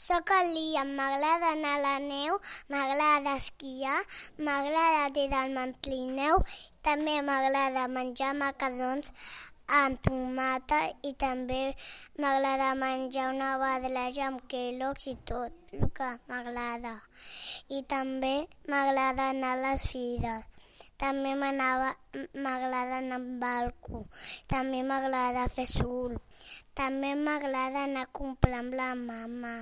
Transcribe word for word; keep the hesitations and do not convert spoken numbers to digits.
Soc el Liam, m'agrada anar a la neu, m'agrada esquiar, m'agrada tirar el mantlineu, també m'agrada menjar macarrons amb tomata i també m'agrada menjar una barreja amb Kellogg's i tot el que m'agrada. I també m'agrada anar a les fires. També m'agrada anar amb barco. També m'agrada fer surf. També m'agrada anar a comprar amb la mama.